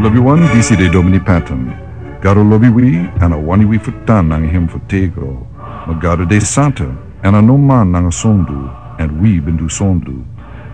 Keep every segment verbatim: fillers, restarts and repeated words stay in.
Lobiwan, disi de Domini Patton. Gado lobi wi, èn a wani wi fu tan nanga hem fu tego. Ma Gado de santa, èn a no man nanga sondu, èn wi ben du sondu.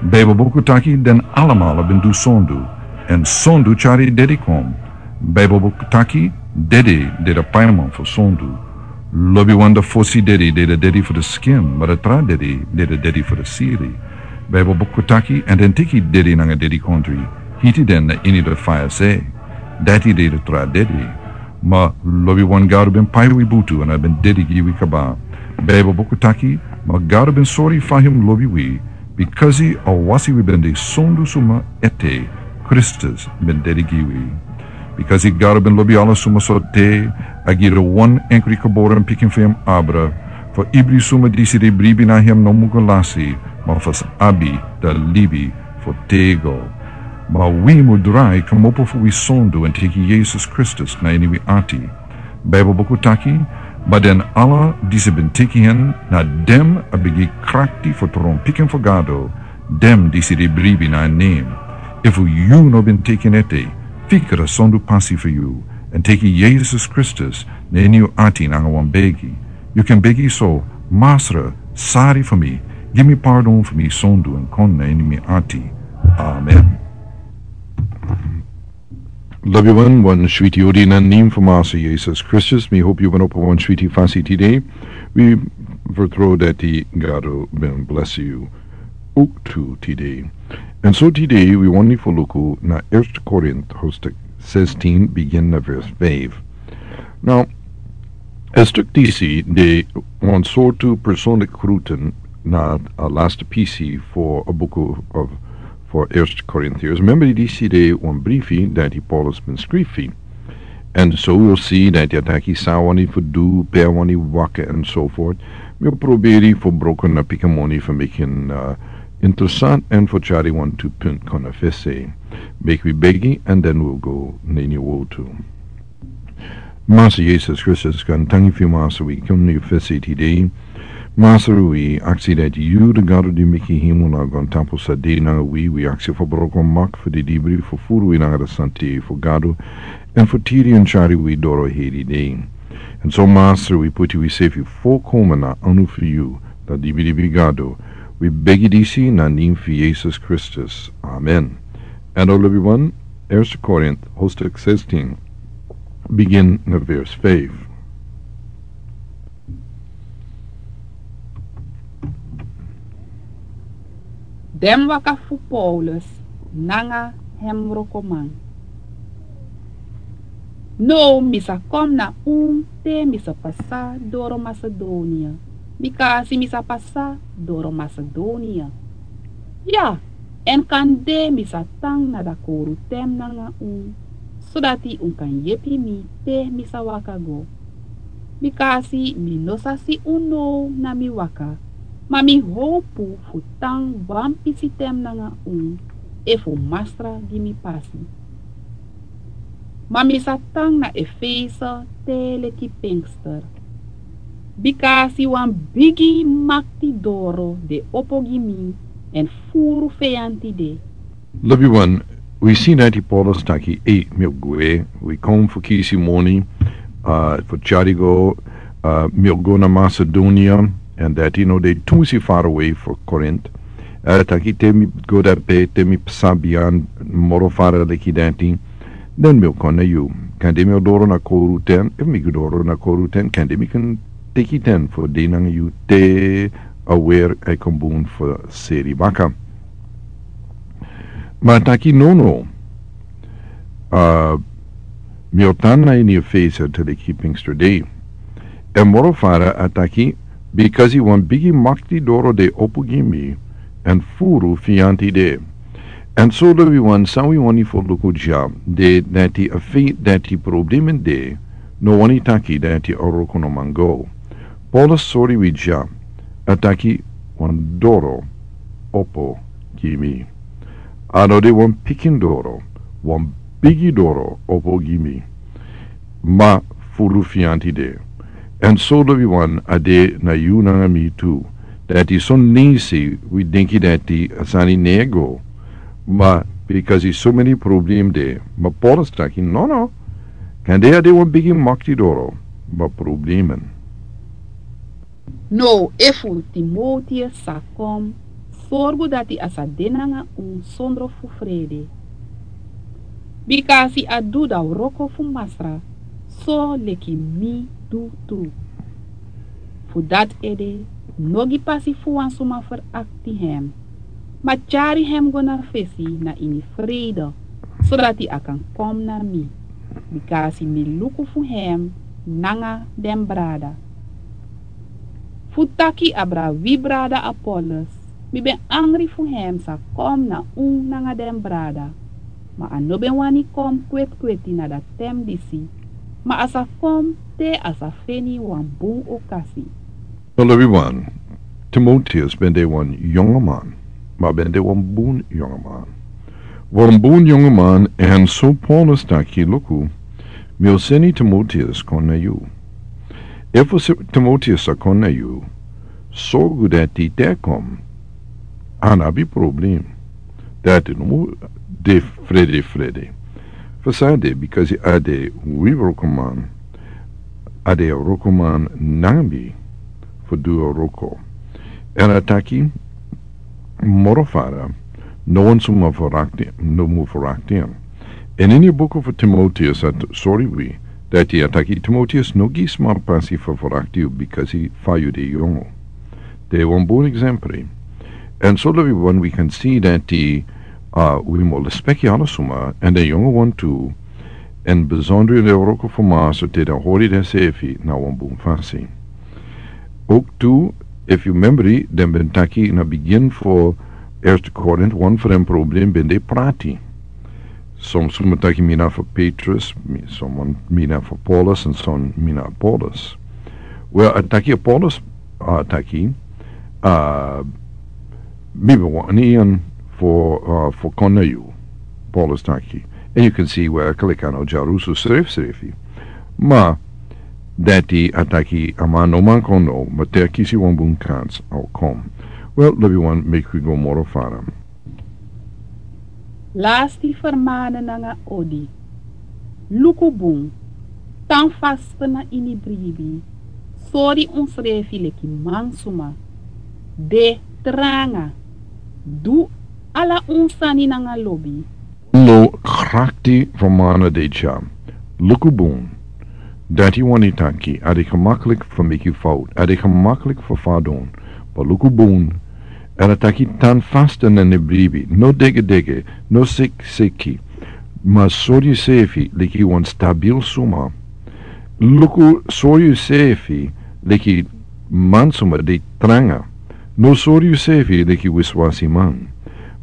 Bibel buku taki den alamala ben du sondu, èn sondu tyari dede kon. Bibel buku taki dede de a paiman fu sondu. Lobiwan, a fosi dede de a dede fu a skin, ma a tra dede de a dede fu a siri. Bibel buku taki, èn den teki dede nanga dedikondre, hiti den na ini a faya se. Dati de a tra dede. Ma lobiwan, Gado ben pai wi butu èn a ben dede gi wi kaba. Bibel buku taki, ma Gado ben sori fa hem lobi wi, bikasi a wasi wi ben de sondu suma ete, Kristus ben dede gi wi. Bikasi Gado ben lobi ala suma so te, a gi a wan enkri geboren pikin fu hem abra, fu ibri suma disi di bribi na hem no mu go lasi, ma fu sa abi a libi fu tego. Ma wi mu drai komopo fu wi sondu èn teki Yesus Kristus na ini wi ati. Bibel buku taki, ma den ala disi ben teki hen, na den a ben gi krakti fu tron pikin fu Gado, den disi di bribi na en nen. Efu yu no ben teki en ete, fika a sondu pasi fu yu, èn teki Yesus Kristus na ini yu ati nanga wan begi. Yu kan begi so: Masra, sori fu mi, gi mi pardon fu mi sondu èn kon na ini mi ati. Amen. Lobiwan, wan switi odi na nen fu Masra Yesus Kristus. Mi hopi yu ben opo wan switi fasi tide. Wi vertrouw dati Gado ben blesi yu owktu tide. Èn so tide wi wani fu luku na Eerste Korint hoofdstuk zestien, begin na vers vijf. Now, a stuk disi de wan sortu personlik groeten na a laatste pisi fu a buku of fu Eerste Korintiërs. Memba disi de wan briefi dati Paulus ben skrifi. Èn so wi o si dati a taki san a wani fu du, pe a wani waka, èn so forth. Mi o proberi fu broko na pikin moni fu meki en, uh, interesant èn fu tyari wantu punt kon na fesi. Meki wi begi, èn den wi o go na ini a wortu. Masra Yesus Kristus, gaantangi fu yu, Masra, wi kon na yu fesi tide. Masra, wi aksi dati yu, a Gado di meki hemel nanga grontapu, sa de nanga wi. Wi aksi fu broko mak fu di libri fu furu wi nanga a santa fu Gado, èn fu tiri èn tyari wi doro heri dei. Èn so, Masra, wi poti wi sefi folkomen na anu fu yu, a dibidibi Gado. Wi begi disi na nen fu Yesus Kristus. Amen. Èn lobiwan, Eerste Korint hoofdstuk zestien, begin na vers vijf. Den waka fu Paulus nanga hem wrokoman. Now mi sa kon na unu te mi sa pasa doro Masedonia, bikasi mi sa pasa doro Masedonia. Ya, èn kande mi sa tan na a kowruten nanga unu, sodati un kan yepi mi te mi sa waka go. Bikasi mi no sa si unu now na mi waka, ma mi howpu fu tan wan pisi ten nanga unu, efu Masra gi mi pasi. Ma mi sa tan na Efese te leki Pinkster, bikasi wan bigi makti doro de opo gi mi, èn furu feyanti de. Lobiwan, wi si dati Paulus taki: Ei, mi o gwe, wi kon fu kisi moni, uh, fu tyari go, uh, mi o go na Masedonia, èn dati no de tumsi farawe fu Korint. A taki: Te mi go dape, te mi pasa biyan, moro fara leki dati, den mi o kon na yu. Kande mi o doro na kowruten, efu mi doro na kowruten, kande mi kan teki ten fu de nanga yu te a wer a kon bun fu seri baka. Ma a taki: Nono, uh, mi o tan na ini Efese te leki Pinkster dei. Èn moro fara a taki: Bikasi wan bigi makti doro de opo gi mi, èn furu feyanti de. Èn so lobiwan, san wi wani fu luku dya, de dati a feit dati problemen de, no wani taki dati a wroko no man go. Paulus sori wi dya, a taki: Wan doro opo gi mi. A no de wan pikin doro, wan bigi doro opo gi mi. Ma furu feyanti de. Èn so lobiwan, a de na yu nanga mi tu. Dati son leisi wi denki dati a sani no e go. Ma Bikasi so meni problem de, ma Paulus taki nono. Kande a de wan bigi makti doro, ma problemen. Now efu Timoteus sa kon, sorgu dati a sa de nanga un sondro fu frede. Bikasi a du dan wroko fu Masra, so leki mi du tru. Fu dati ede, no gi pasi fu wan suma ferakti hem, ma tyari hem go na fesi na ini frede, sodati a kan kon na mi, bikasi mi luku fu hem nanga den brada. Fu taki abra wi brada Apollos, mi ben angri fu hem sa kon na un nanga den brada, ma a no ben wani kon kwetkweti na dati ten disi, ma a sa kon te a sa feni wan bun okasi. Lobi wan, Timoteus ben de wan yongoman, ma ben de wan bun yongoman. Wan bun yongoman, èn so Paulus taki luku, mi o seni Timoteus kon na yu. Efu Timoteus sa kon na yu, sorgu dati te kon, a no abi problem. Dati no mu de frede frede. Fu san de, bikasi a de wi wrokoman, a de wrokoman nanga mi fu du wroko. Èn a taki moro fara, no wan suma ferakti, no mu ferakti en. Èn ini buku fu Timoteus a sori wi, dati a taki Timoteus no gi sma pasi fu ferakti yu bikasi fa yu de yongu. De wan bun eksempel. Èn so lobi wan wi kan si dati, a, wi mu lespeki ala suma, èn den yongu wan tu, èn besonder den wroko fu Masra te den hori den sefi na wan bun fasi. Ook tu, efu yu memori, den ben taki na bigin fu Eerste Korint, wan fu den problem ben de prati. Son suma taki mi na fu Petrus, mi, son mi na fu Paulus, èn son mi na Apollos. Wel, a taki Apollos, a taki, a, mi ben wani en fu, a, fu kon na yu, Paulus taki. Èn yu kan si werkelijk a no dyarusu srefsrefi. Ma, dati a taki a man no man kon no, ma te a kisi wan bun kans a o kon. Wel, lobi wan, meki wi go moro fara. Lasti fermane nanga odi. Luku bun, tan faste na ini bribi, sori unsrefi leki mansuma, de tranga, du ala un sani nanga lobi. No krakti fermane de dya. Luku bun. Dati wani taki, a de gemakkelijk fu meki fout, a de gemakkelijk fu fadon. Ma luku bun, èn a taki tan faste na ini bribi, no degedege, no seki seki. Ma sori yusefi leki wan stabil suma. Luku, sori yusefi leki mansuma de tranga. No sori yusefi leki wiswasiman.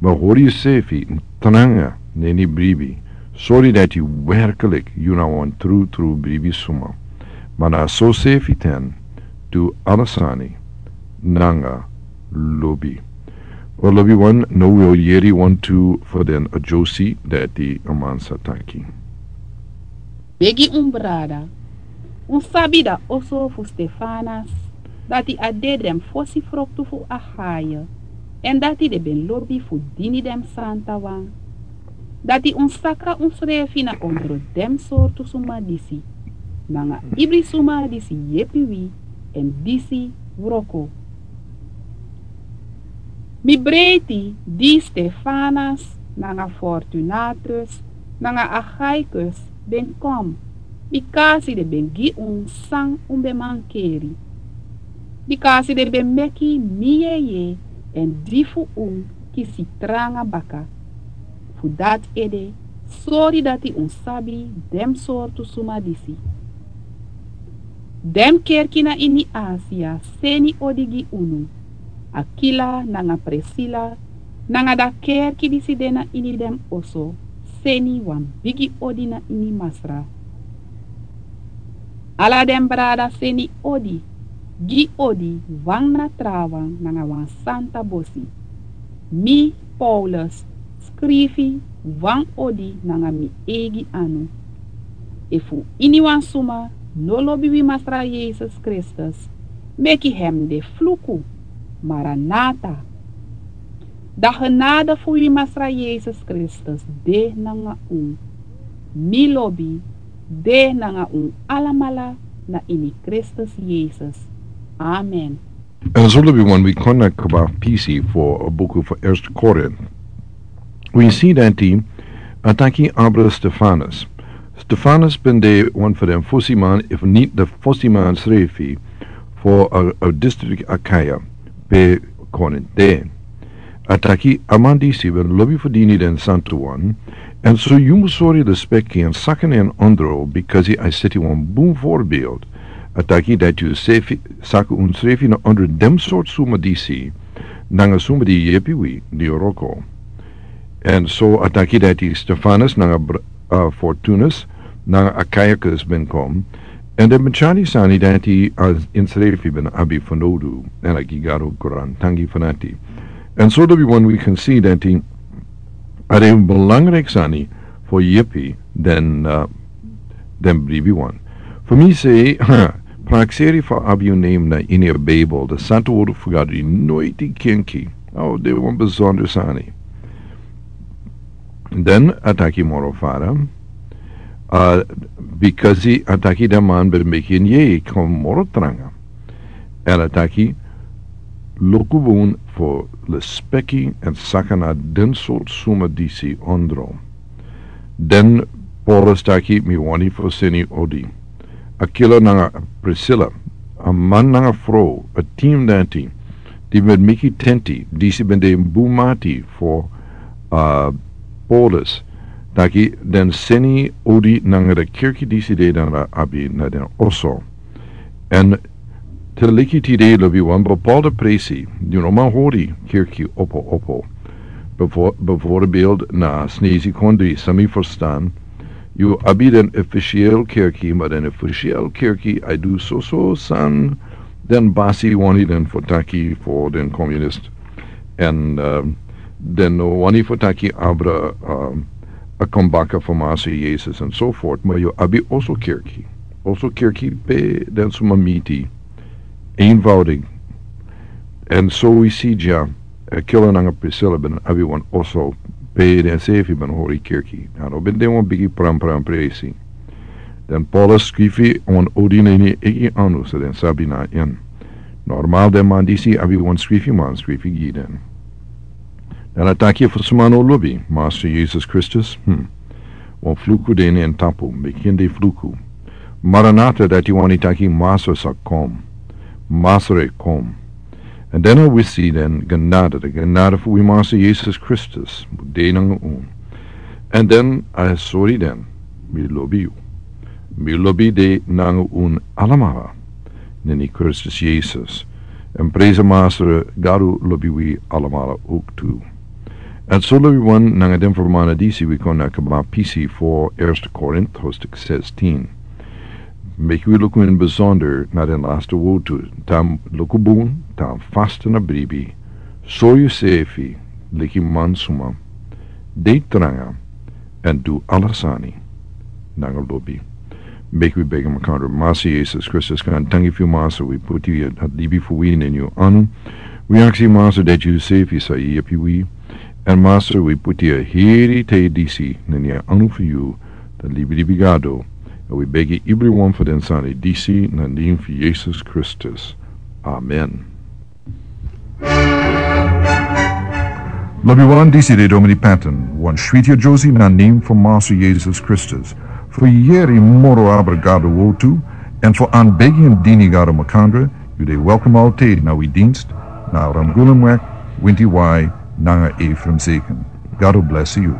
Ma hori yusefi tranga na ini bribi. Sori dati werkelijk yu na wan trutru bribi suma. Ma na so sefi ten, du ala sani nanga lobi. Wel, lobi wan, now wi o yeri wantu fu den a dyosi dati a man sa taki. Begi un brada, un sabi dan oso fu Stefanas, dati a de den fosi froktu fu Achaia, èn dati den ben lobi fu dini den santawan. Dati un saka unsrefi na ondro den sortu suma disi, nanga ibri suma disi yepi wi èn disi wroko. Mi breiti di Stefanas, nanga Fortunatus, nanga Achaicus ben kon, bikasi den ben gi un san un ben mankeri. Bikasi den ben meki mi yeye èn di fu un kisi tranga baka. Fu dati ede, sori dati un sabi den sortu suma disi. Den kerki na ini Asia seni odi gi unu. Akila nanga Prisila, nanga dan kerki disi de na ini den oso, seni wan bigi odi na ini Masra. Ala den brada seni odi, gi odi wan na trawan nanga wan santa bosi. Mi, Paulus, skrifi wan odi nanga mi eigi anu. Efu iniwan suma no lobi wi Masra Yesus Kristus, meki hem de fluku. Maranata. Da genade fu wi Masra Yesus Kristus de nanga un. Mi lobi de nanga un alamala na ini Kristus Yesus. Amen. En so lobi wan wi kon na kaba pisi fu a buku fu Eerste Korint. Wi si dati a taki abra Stefanus. Stefanus ben de wan fu den fusiman, efu niti de fusiman srefi, fu a, a distrik Akaya, pe Korint de. A taki a man disi ben lobi fu dini den santu wan, en so yu mus sori lespeki en saka na en ondro, bikasi a seti wan bun voorbeeld. A taki dati yu saka unsrefi na ondro den sortu suma disi, nanga suma di yepi wi, di wroko. En so a taki dati Stefanus nanga br-, a, Fortunus nanga Achaicus ben kon, en den ben tyari sani dati a ensrefi ben abi fanowdu, en a gi Gado grantangi fu dati. En so lobi wan wi kan si dati a de belangrijk sani fu yepi den, a, den bribiwan. Fu mi se, prakseri fu abi yu nen na ini a Bijbel, de santu wordu fu Gado, noiti kenki. O, de wan besonder sani. Den a taki moro fara, a, bikasi a taki den man ben meki en yeye kon moro tranga. En a taki luku bun fu lespeki en saka na den sortu suma disi ondro. Den Paulus taki mi wani fu seni odi. Akila nanga Priscilla, a man nanga frow, a team dati, di ben meki tenti, disi ben de bun mati fu, a, Paulus, taki den seni odi nanga de kerki disi de dan a abi na den oso. En te leki tide lobi wan bepaalde presi, yu no man hori kerki opo opo. Bevo-, bijvoorbeeld na Snezi kondri, san mi ferstan, yu abi den officieel kerki, ma den officieel kerki a du soso san den basi wani den fu taki fu den communist. En, a, den wani fu taki abra, a, a kon baka fu Masra Yesus en so voort. Ma yu abi oso kerki. Oso kerki pe den suma miti. Eenvoudig. En so wi si dya, Akila nanga Priscilla ben abi wan oso pe den srefi ben hori kerki. A no ben de wan bigi pram pram presi. Den Paulus skrifi wan odi na ini en eigi anu, so den sabi na en. Normaal den man disi abi wan skrifiman skrifi gi den. Dan a taki fu suma no lobi Masra Yesus Kristus, hm. Wan fluku de na en tapu, mi kende fluku. Maranata, dati wani taki Masra sa kon. Masra e kon. En dan a wisi den genade, de genade fu wi Masra Yesus Kristus, mus de nanga un. En dan a sori den, mi lobi yu. Mi lobi de nanga un alamala. Na ini Kristus Yesus. En prezi Masra Gado lobi wi alamala ook tu. En so lobi wan nanga den fermana disi wi kon na kaba pisi fu Eerste Korint, hoofdstuk zestien. Meki wi luku in besonder na den laste wortu, dan luku bun, dan fasten na bribi. So yu srefi, leki man suma. De tranga, en du ala sani nanga lobi. Meki wi begi makandra. Masra Yesus Kristus, grantangi fu yu Masra, wi puti a libi fu wi na ini yu anu. Wi aksi Masra dati yu srefi sa yepi wi. En Masra, wi puti a heri tide disi na ini a anu fu yu. Dan libi libi Gado. En wi begi ibri wan fu den sani disi na nen fu Yesus Kristus. Amen. Lobi wan, disi de Domini Patton, wan switi a josi na nen fu Masra Yesus Kristus. Fu yeri moro abra Gado wortu, en fu anbegi en dini Gado makandra, yu de welkom altijd na wi dienst, na Ramgulemweg, winti wai, nanga Ephraim Zeken. Gado blesi yu.